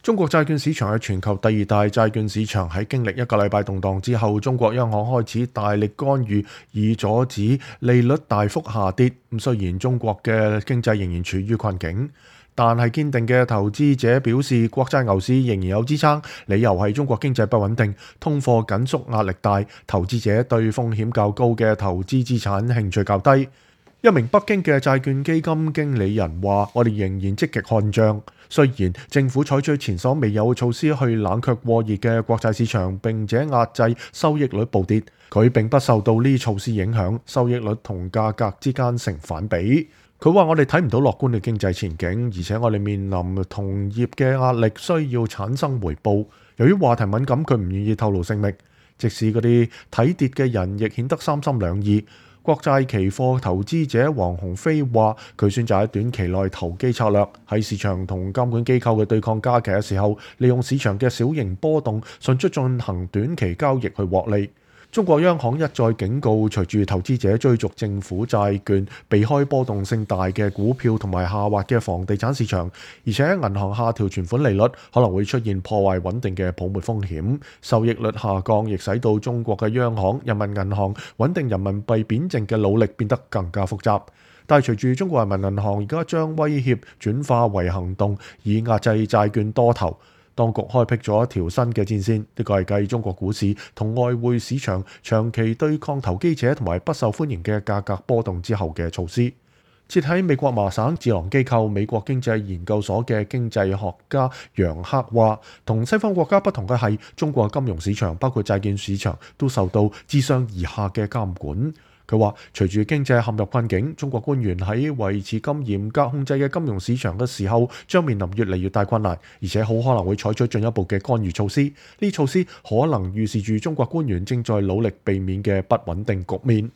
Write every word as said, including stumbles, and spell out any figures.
中國債券市場係全球第二大債券市場，喺經歷一個禮拜動盪之後，中國央行開始大力干預，以阻止利率大幅下跌。咁雖然中國嘅經濟仍然處於困境，但係堅定嘅投資者表示，國債牛市仍然有支撐，理由係中國經濟不穩定，通貨緊縮壓力大，投資者對風險較高嘅投資資產興趣較低。一名北京嘅債券基金經理人話：我哋仍然積極看漲，雖然政府採取前所未有嘅措施去冷卻過熱嘅國債市場，並且壓制收益率暴跌，佢並不受到呢措施影響，收益率同價格之間成反比。佢話：我哋睇唔到樂觀嘅經濟前景，而且我哋面臨同業嘅壓力，需要產生回報。由於話題敏感，佢唔願意透露姓名。即使嗰啲睇跌嘅人，亦顯得三心兩意。國債期貨投資者黃鴻飛話：佢選擇喺短期內投機策略，喺市場同監管機構嘅對抗加劇嘅時候，利用市場嘅小型波動，迅速進行短期交易去獲利。中國央行一再警告，隨住投資者追逐政府債券，避開波動性大嘅股票同埋下滑嘅房地產市場，而且銀行下調存款利率可能會出現破壞穩定嘅泡沫風險。收益率下降亦使到中國嘅央行、人民銀行穩定人民幣貶值嘅努力變得更加複雜。但係隨住中國人民銀行而家將威脅轉化為行動，以壓制債券多頭，當局開闢咗一條新嘅戰線，呢個係繼中國股市同外匯市場長期對抗投機者同埋不受歡迎嘅價格波動之後嘅措施。設喺美國麻省智囊機構美國經濟研究所嘅經濟學家楊克話：同西方國家不同嘅係，中國金融市場包括債券市場都受到自上而下嘅監管。佢話：隨住經濟陷入困境，中國官員喺維持咁嚴格控制嘅金融市場嘅時候，將面臨越嚟越大困難，而且好可能會採取進一步嘅干預措施。呢措施可能預示住中國官員正在努力避免嘅不穩定局面。